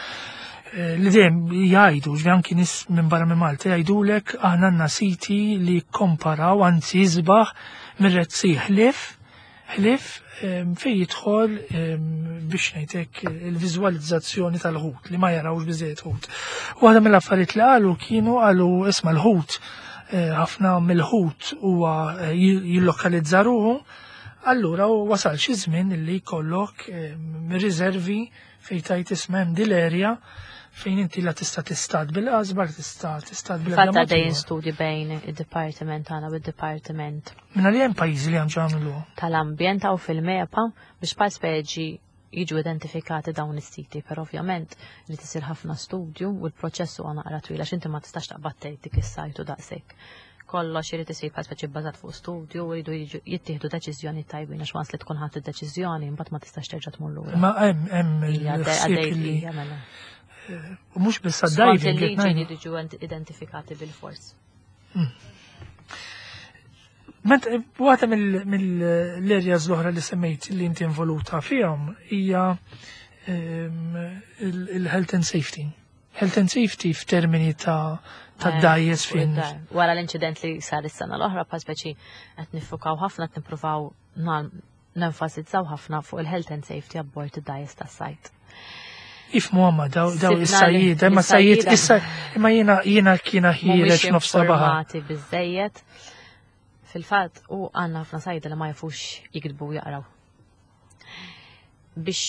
li dejjem jgħidu, ġifieri anki nies minn barra minn Malta jgħidulek aħna għandna siti li jikkomparaw, anzi isbaħ mir-Red Sea, ħlief fejn jidħol biex ngħidlek il-viżwalizzazzjoni tal-ħut li ma jarawx biżejjed ħut. Waħda mill-affarijiet li qalu kienu qalu isma' l-ħut, ħafna mill-ħut huwa jillokalizza ruħu, allura wasal xi żmien li jkollok riservi fejn tajt isma' hemm dil-erja fejn inti la tista' tistad bil-qasba, la tista' tistad bil Fatta dejjem studji bejn id-dipartiment tagħna u d-dipartiment. Minna li hemm pajjiżi li hemm ġamlu. Tal-ambjent hawn fil-MEPA biex bħal speċi jiġu identifikati dawn is-siti, però ovvjament li tisir ħafna studju u l-proċess huwa naqra twil għax inti ma tistax taqbad tgħid dik is-sajtu daqshekk. Kollox irid isir bħal speċi bbażat fuq studju u jridu jittieħdu deċiżjoni tajbin għax once li tkun ħadd id-deċiżjoni mbagħad ma tistax terġa' tmur lura. Ma hemm Hija il-ħsieb għaddej li hija mela. U mhux biss Skont għad-diving, qed il-liġi ngħidu. jridu jiġu identifikati bil-fors. Ment, waħda mill-areas l-oħra li semmejt li inti involuta fihom hija il-health and safety. Health and safety f'termini ta' dgħajjes Fuq fin. id-dar. Wara l-inċident li sar is-sena l-oħra, pa speċi qed niffukaw ħafna, qed nippruvaw nenfasizzaw ħafna fuq il-health and safety abbord id-dgħajjes tas-sajd. Ifmu għamma daw Sibna li is-sajjied, imma sajjied is-sajjieda issa, imma jiena kiena ħiereġ mhumiex nofs sabaħa. informati biżejjed. Fil-fatt, u għandna ħafna sajda li ma jafux jiktbu u jaqraw. Biex,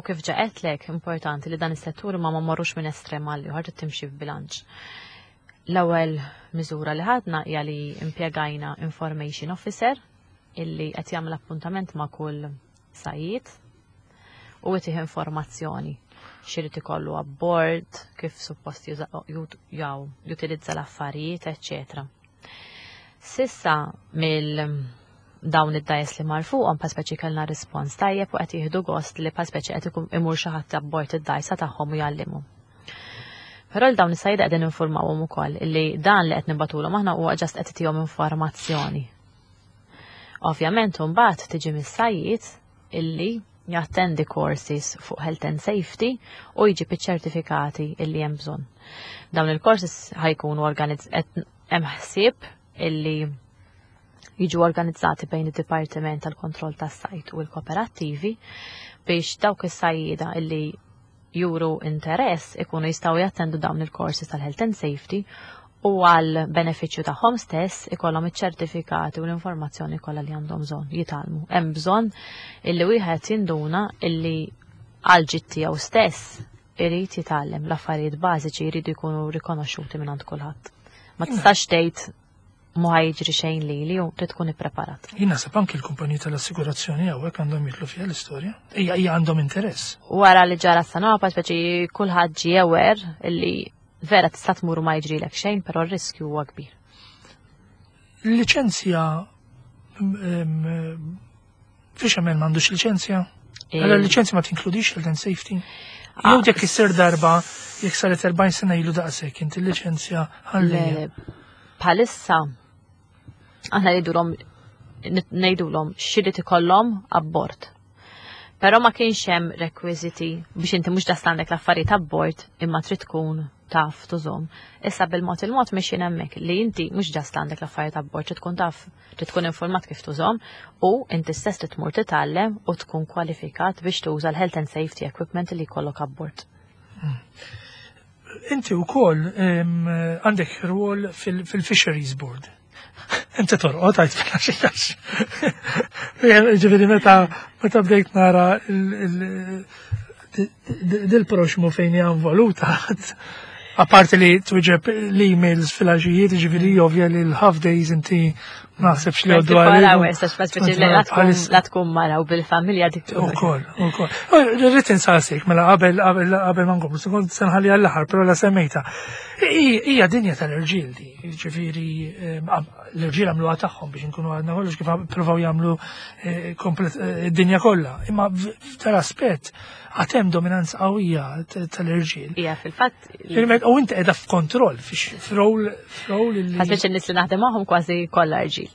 u kif ġaqetlek, importanti li dan is-settur ma marrux minn estrem għal ieħor, trid timxi f'bilanċ. L-ewwel miżura li ħadna hija li impjegajna information officer illi qed jagħmel appuntament ma' kull sajjied u jtih informazzjoni x'irid ikollu abbord, kif suppost jutilizza l-affarijiet, eċċetera. Sissa mill dawn id-dgħajjes li mar fuqhom pa speċi kellna rispons tajjeb u qed jieħdu gost li pa speċi qed ikun imur xi ħadd abbord id-dgħajsa tagħhom u jgħallimhom. Però l dawn is-sajda qegħdin informawhom ukoll li dan li qed nibatulhom aħna huwa just qed itihom informazzjoni. Ovvjament imbagħad tiġi mis-sajjied illi jattendi courses fuq health and safety u jġib iċ-ċertifikati illi hemm bżonn. Dawn il-courses ħa jkunu qed hemm ħsieb illi jiġu organizzati bejn id-Dipartiment tal-Kontroll tas-Sajd u l-Kooperattivi biex dawk is-sajjieda illi juru interess ikunu jistgħu jattendu dawn il-courses tal-health and safety u għal benefiċċju tagħhom stess ikollhom iċ-ċertifikati u l-informazzjoni kollha li għandhom bżonn jitgħallmu. Hemm bżonn illi wieħed jinduna illi għal ġid tiegħu stess irid jitgħallem l-affarijiet bażiċi jridu jkunu rikonoxxuti minn għand kulħadd. Ma tistax tgħid ma ħa jiġri xejn li u trid tkun ippreparat. Jien naħseb anki l-kumpaniji tal-assigurazzjoni hawnhekk għandhom jidħlu fiha l-istorja. Hija għandhom interess. Wara li ġara s-sena, pa speċi kulħadd ġie aware illi vera tista' tmur u ma jiġrilek xejn, però r-riskju huwa kbir. Liċenzja fisherman m'għandux liċenzja? Allora l-liċenzja ma tinkludix health and safety? Jew jekk issir darba, jekk saret 40 sena ilu daqshekk, inti l-liċenzja ħallija. Le, bħalissa aħna ngħidulhom x'irid ikollhom abbord. Però ma kienx hemm rekwiżiti biex inti mhux dasta għandek l-affarijiet abbord imma trid tkun taf tużhom. Issa bil-mod il-mod mixin hemmhekk li inti mhux ġast għandek l-affarijiet abbord, trid tkun taf, trid tkun informat kif tużhom u inti stess trid tmur titgħallem u tkun kwalifikat biex tuża l-health and safety equipment li jkollok abbord. Inti wkoll għandek rwol fil-Fisheries Board. Inti torqod għajt fil-għaxi. Ġifieri meta bdejt nara dil-proxmu fejn hija involuta, apparti li twieġeb l-emails fil-għaxijiet, ġifieri ovvja li l-half days inti ma naħsebx li għoddu għal. La tkun mara u bil-familja dik. Ukoll, ukoll. Rrid insaqsik, mela qabel qabel ma nkomplu, kont se nħalli għall-aħħar, però la semmejta. Hija dinja tal-irġiel di, ġifieri l-irġiel għamluha tagħhom biex inkunu għadna kollox kif provaw jagħmlu eh, eh, id-dinja kollha. Imma tal-aspett għad hemm dominanza qawwija tal-irġiel. Ija, fil-fatt. U inti qiegħda f'kontroll, f'rol li. Ħasbiex in-nies li naħdem magħhom kważi kollha rġiel.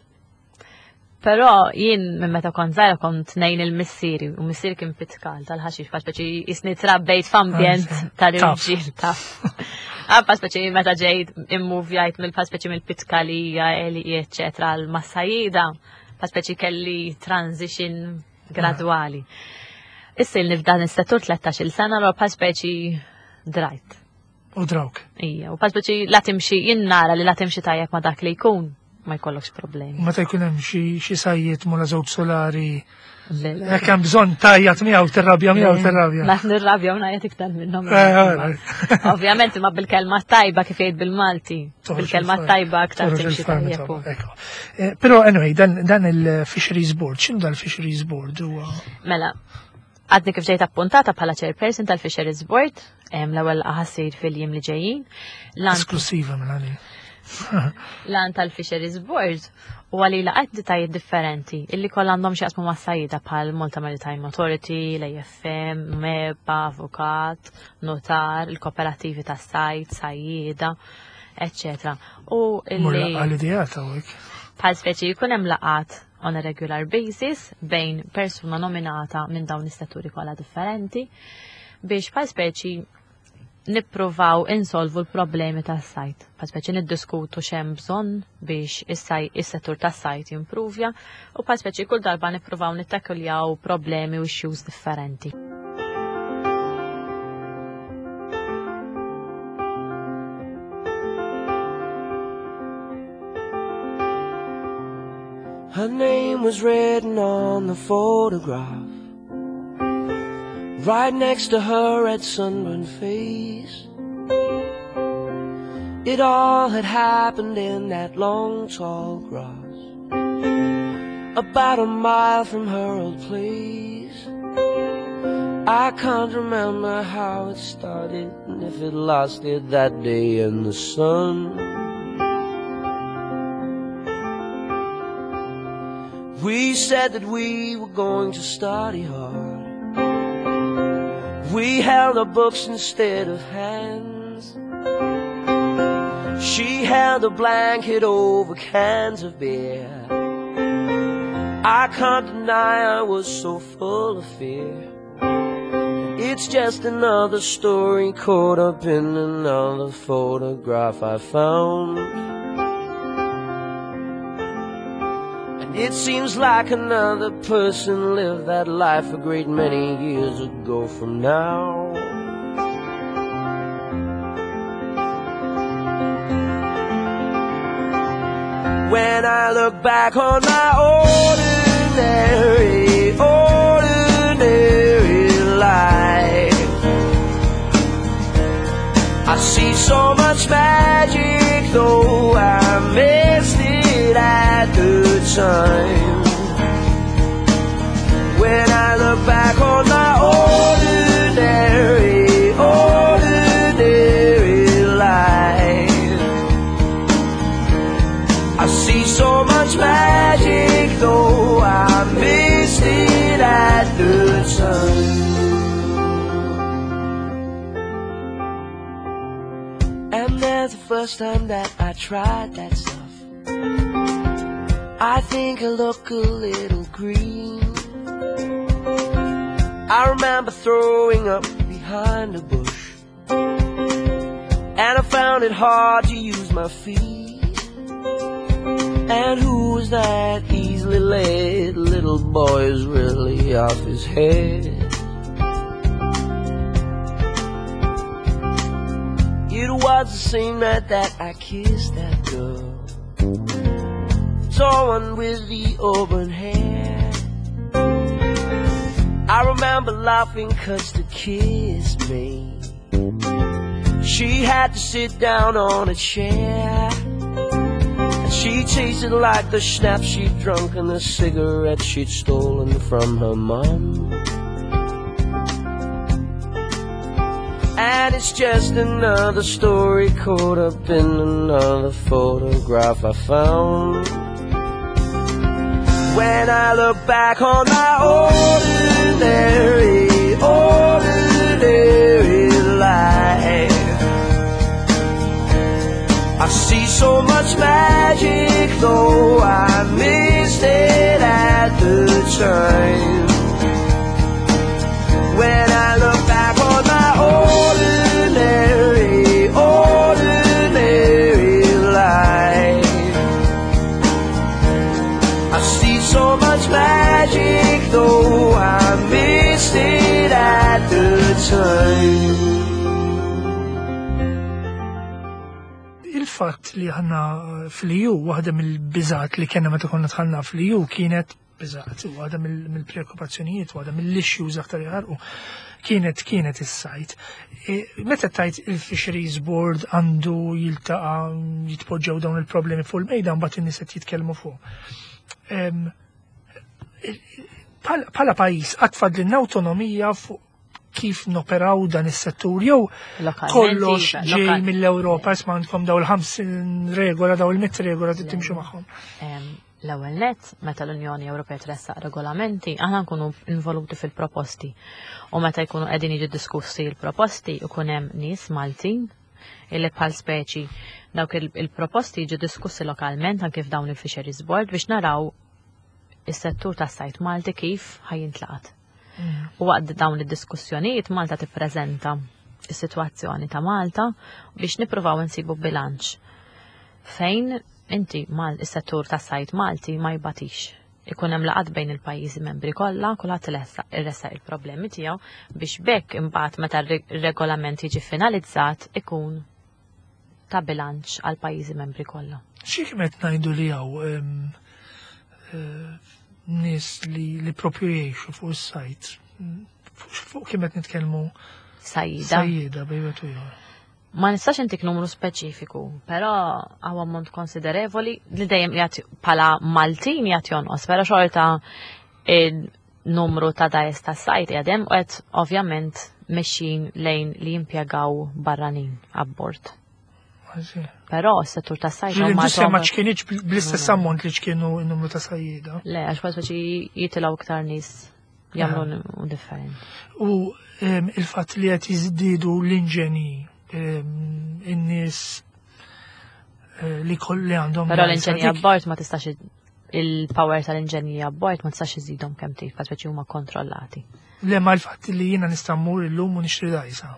Però jien minn meta kont żgħira kont ngħin il-missieri u missieri kien pitkal tal-ħaxix fa speċi jisni trabbejt f'ambjent ah, tal-irġiel taf. Għabba ah, speċi meta ġejt immuvjajt mill-faspeċi mill-pitkalija, eli, eccetera, l-massajida, fa speċi kelli transition gradwali. Issa li f'dan is-settur 13-il sena l bħal speċi drajt. U drawk. Ija, u bħal speċi la timxi jien nara li la timxi tajjeb ma dak li jkun ma jkollokx problemi. Meta jkun hemm xi sajjiet mula żewġ solari Jekk hemm bżonn tajjat miegħu tirrabja miegħu tirrabja. Ma nirrabja u ngħajjat iktar minnhom. Eh, eh, Ovvjament imma bil-kelma tajba kif jgħid bil-Malti. Bil-kelma tajba aktar timxi tajjeb. Eh, però anyway, dan il-Fisheries Board, x'inhu dal-Fisheries Board huwa? Mela, għadni kif ġejt appuntata bħala chairperson tal-Fisheries Board, l-ewwel ħassir fil-jiem li ġejjin. Esklusiva mela li. Lan tal-Fisheries Board u għali laqgħet entitajiet differenti illi kollha għandhom xi jaqsmu mas-sajjida bħal Malta Maritime Authority, l-AFM, MEPA, avukat, notar, il-kooperativi tas-sajd, sajjieda, eccetera. U illi. Għal-idea ta' Bħal speċi jkun hemm laqgħat on a regular basis bejn persuna nominata minn dawn is-setturi kollha differenti biex bħal speċi nippruvaw insolvu l-problemi tas-sajd. Bħal speċi niddiskutu x'hemm bżonn biex is-settur tas-sajd jimpruvja u bħal speċi kull darba nippruvaw nittakkuljaw problemi u issues differenti. Her name was written on the photograph Right next to her red sunburned face It all had happened in that long tall grass About a mile from her old place I can't remember how it started And if it lasted that day in the sun We said that we were going to study hard We held our books instead of hands She held a blanket over cans of beer I can't deny I was so full of fear It's just another story caught up in another photograph I found And it seems like another person lived that life a great many years ago from now When I look back on my ordinary, ordinary life I see so much magic though I missed it at the time When I look back on my ordinary, ordinary life I see so much magic though I missed it at the time And there's the first time that I tried that stuff I think I look a little green I remember throwing up behind a bush And I found it hard to use my feet And who was that easily led little boy is really off his head? was the same night that I kissed that girl. Tall one with the auburn hair. I remember laughing cause to kiss me she had to sit down on a chair. And she tasted like the schnapps she'd drunk and the cigarette she'd stolen from her mum. And it's just another story caught up in another photograph I found. When I look back on my ordinary, ordinary life, I see so much magic, though I missed it at the time. When I look back on my ordinary, ordinary life, I see so much magic, though I missed it at the time. Il-fatt li aħna fl-EU, waħda mill-biżgħat li kellna meta konna dħalna fl-EU kienet biżgħat, waħda mill-preokkupazzjonijiet, waħda mill-issues aktar jaħarqu, kienet is-sajt. Meta tajt il-Fisheries Board għandu jiltaqa' jitpoġġew dawn il-problemi fuq il-mejda, mbagħad in-nies qed jitkellmu fuq. Bħala pajjiż qatt fadlilna awtonomija fuq kif noperaw dan is-settur jew Lokalment, kollox iva, ġej mill-Ewropa, isma' għandkom daw il-50 regola, daw il-100 regola trid timxu magħhom. L-ewwel nett, meta l-Unjoni Ewropea tressaq regolamenti, aħna nkunu involuti fil-proposti. U meta jkunu qegħdin jiġu diskussi l-proposti, ikun hemm nies Maltin illi bħal speċi dawk il-proposti jiġu diskussi lokalment anke f'dawn il-Fisheries Board biex naraw is-settur tas-sajt Malti kif ħajintlaqat. U waqt dawn id-diskussjonijiet Malta tippreżenta is-sitwazzjoni ta' Malta biex nippruvaw insibu bilanċ fejn inti mal is-settur tas-sajt Malti ma jbatix. Ikun hemm laqgħat bejn il-pajjiżi membri kollha, kulħadd iressaq il-problemi tiegħu biex bekk imbagħad meta r-regolament jiġi finalizzat ikun ta' bilanċ għal pajjiżi membri kollha. Xi kienet ngħidu li hawn nies li propju jgħixu fuq is-sajt? Fuq kemm qed nitkellmu? Sajjida. Sajjida bejn wieħed u ieħor. Ma nistax intik numru speċifiku, però hawn ammont konsiderevoli li dejjem jagħti bħala Maltin jagħti jonqos, però xorta il-numru ta' dgħajjes ta' sajt qiegħed hemm u qed ovvjament mexjin lejn li jimpjegaw barranin abbord. Però s-settur ta' sajt huma L-industrija ma għadhom ċkienitx bl-istess ammont li ċkienu n-numru ta' sajjieda. Le, għax bħal speċi jitilgħu iktar nies jagħmlu differenti. U il-fatt li qed jiżdiedu l-inġenji, in-nies li kolli għandhom Però dgħajsa l-inġenji dik abbord ma tistax il-power tal-inġenji abbord ma tistax iżidhom kemm trid, bħal speċi huma kontrollati. Le, ma l-fatt li jiena nista' mmur illum u nixtri dgħajsa.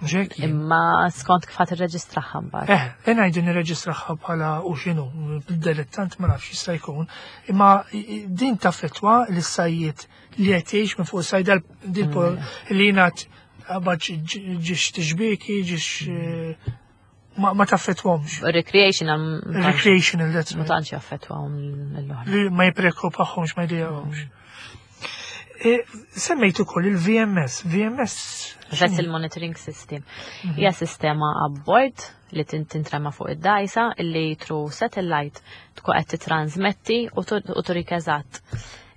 Mhux hekk jien. Imma skont kif ħadd irreġistraħħa mbagħad. Ngħidu nirreġistraħħa bħala u x'inhu, dilettant ma nafx jista' jkun, imma din taffettwa lis-sajjied li qed jgħix minn fuq sajda din li jingħad qabad ġiex tixbieki, ġiex, ma taffettwahomx. Recreational, Recreational, that's ma right. tantx jaffettwahom l-oħra. Li ma jippreokkupahomx, ma jdejjaqhomx. Semmejt ukoll il-VMS. VMS Vessel Monitoring System. Hija sistema abbord li tintrema fuq id-dgħajsa illi through satellite tkun qed titransmetti u turik eżatt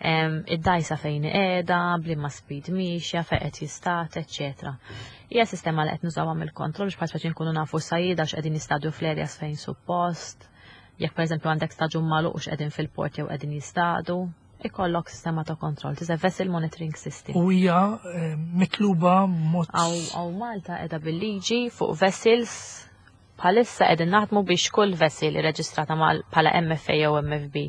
id-dgħajsa fejn qiegħda, b'liema speed mixja, fejn qed jistat, eċċetera. Hija sistema li qed nużawha mill-kontroll biex bħal speċi nkunu nafu sajjieda x'qegħdin jistadu fl-areas fejn suppost. Jekk pereżempju għandek staġun magħluq x'qegħdin fil-port jew qegħdin jistadu, ikollok sistema ta' kontroll, it's a vessel monitoring system. U hija mitluba mod Aw Malta qiegħda bil-liġi fuq vessels bħalissa qegħdin naħdmu biex kull vessel irreġistrata bħala MFA jew MFB.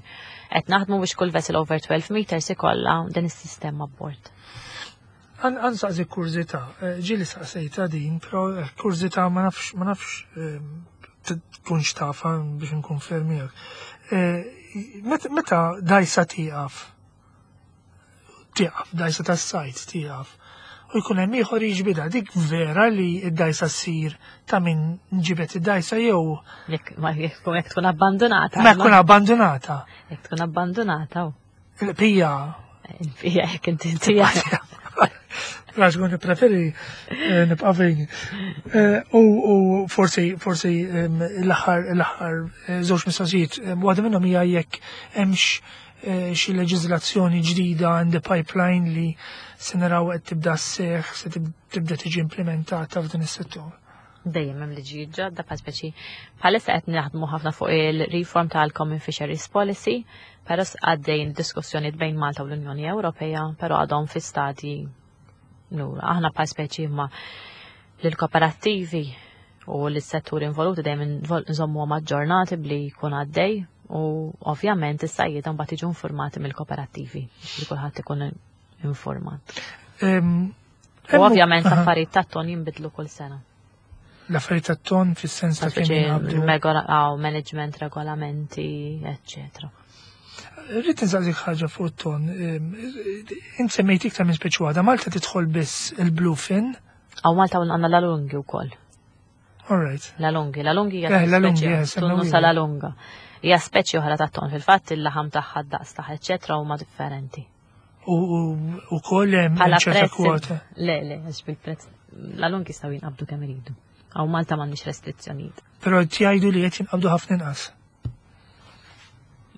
Qed naħdmu biex kull vessel over 12 meters ikollha din is-sistema abbord. Għan saqsi kurżità, ġieli saqsejta din, però kurżità ma nafx, ma nafx tkunx tafa biex nkun fermijak. Meta dgħajsa tieqaf, tieqaf, dgħajsa tas-sajt tieqaf, u jkun hemm ieħor jiġbidha. Dik vera li d-dajsa ssir ta' min ġibet id-dajsa jew Jekk ma jekk jekk tkun abbandonata. ma jkun abbandonata. Jekk tkun abbandonata. Il-pija Il-pija jekk inti tija. Għax kun preferi eh, nibqa' fejn. Eh, u forsi forsi l-aħħar l-aħħar eh, żewġ mistoqsijiet, waħda minnhom hija jekk hemmx xi leġiżlazzjoni ġdida in the pipeline li se naraw qed tibda sseħħ, se tibda tiġi implementata f'dan is-settur. Dejjem hemm liġijiet ġodda bħal speċi bħalissa qed naħdmu ħafna fuq il-reform tal-Common Fisheries Policy, però għaddejn diskussjonijiet bejn Malta u l-Unjoni Ewropea, però għadhom fi stadji lura. Aħna bħal speċi imma lill-kooperattivi u l-settur involuti dejjem nżommuhom aġġornati bli jkun għaddej u ovvjament is-sajjieda mbagħad jiġu informati mill-kooperattivi li kulħadd ikun informat. U ovvjament l-affarijiet tat-ton jinbidlu kull sena. L-affarijiet tat-ton fis-sens ta' kemm jinqabdu. Management, regolamenti, eccetera. Rrid insaqsik ħaġa fuq it-ton. Int semmejt iktar minn speċi waħda, Malta tidħol biss il-bluefin. Aw Malta għandna l-alungi wkoll. All right. La lungi, la lungi hija eh, la lungi, eh, tunnu sa la lunga. Hija speċi oħra ta' ton fil-fatt il-laħam tagħha daqs tagħha eċċetra huma differenti. U koll hemm ċerta kwota. Le, le, għax bil-prezz. La lungi jistgħu jinqabdu kemm iridu. Għaw Malta m'għandniex restrizzjonijiet. Però jgħidu li qed jinqabdu ħafna inqas.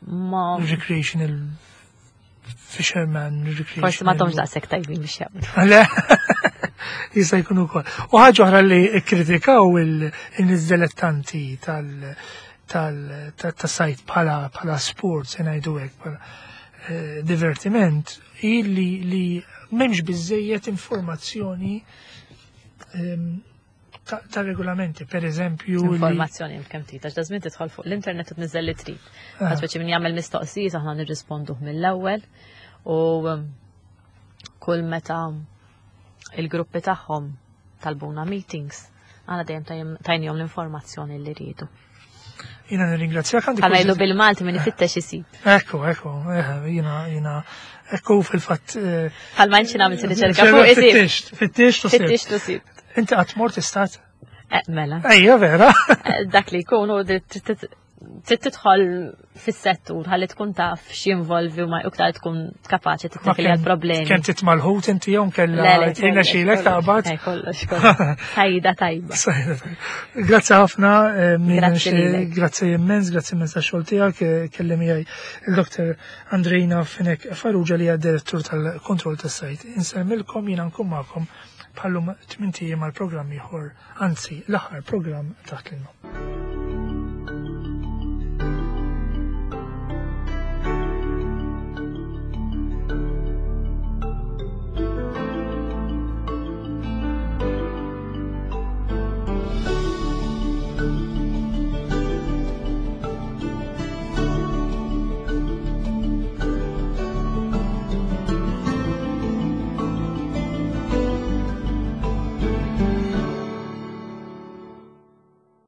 Ma. Recreational fisherman, recreational. Forsi ma domx daqshekk tajbin biex jaqbdu. Le, jista' jkun ukoll. U ħaġa oħra li kkritikaw il-nies dilettanti tal- tal-sajt bħala bħala sport, se ngħidu hekk, bħala eh, divertiment, hi li li m'hemmx biżejjed informazzjoni ehm, ta' regolamenti, per eżempju. Informazzjoni kemm trid, għax dażmin tidħol fuq l-internet u tniżel li trid. Ah. Għax speċi min jagħmel mistoqsijiet aħna nirrisponduh mill-ewwel u um, kull meta il-gruppi tagħhom talbuna meetings, għana dejjem tajnihom l-informazzjoni li rridu. Jina nirringrazzjak għandi. Għamelu bil-Malti minn ifittex isib. Ekku, ekku, eh, jina, jina, ekku fil-fatt. Eh, Għal ma nxin għamil riċerka fuq isib. Fittex, fittex tu Fittex tu sib. Inti qatt mort istat? Eh, mela. Ejja, vera. Dak li jkun u trid tidħol fis-settur ħalli tkun taf x'jinvolvi u ma iktar tkun kapaċi tittakli għal problemi. Kemm titmalħut inti jew kellha tina xilek taqbad. Kollox, kollox. Tajda tajba. Grazzi ħafna, eh, grazzi immens, grazzi immens tax-xogħol tiegħek, eh, kellem miegħi il-Dr. Andrejna Finek Farrugia li hija direttur tal-kontroll tas-sajt. Insemmilkom jiena nkun magħkom bħallum tmint ijiem għal programm ieħor, anzi l-aħħar programm taħt l-ilma.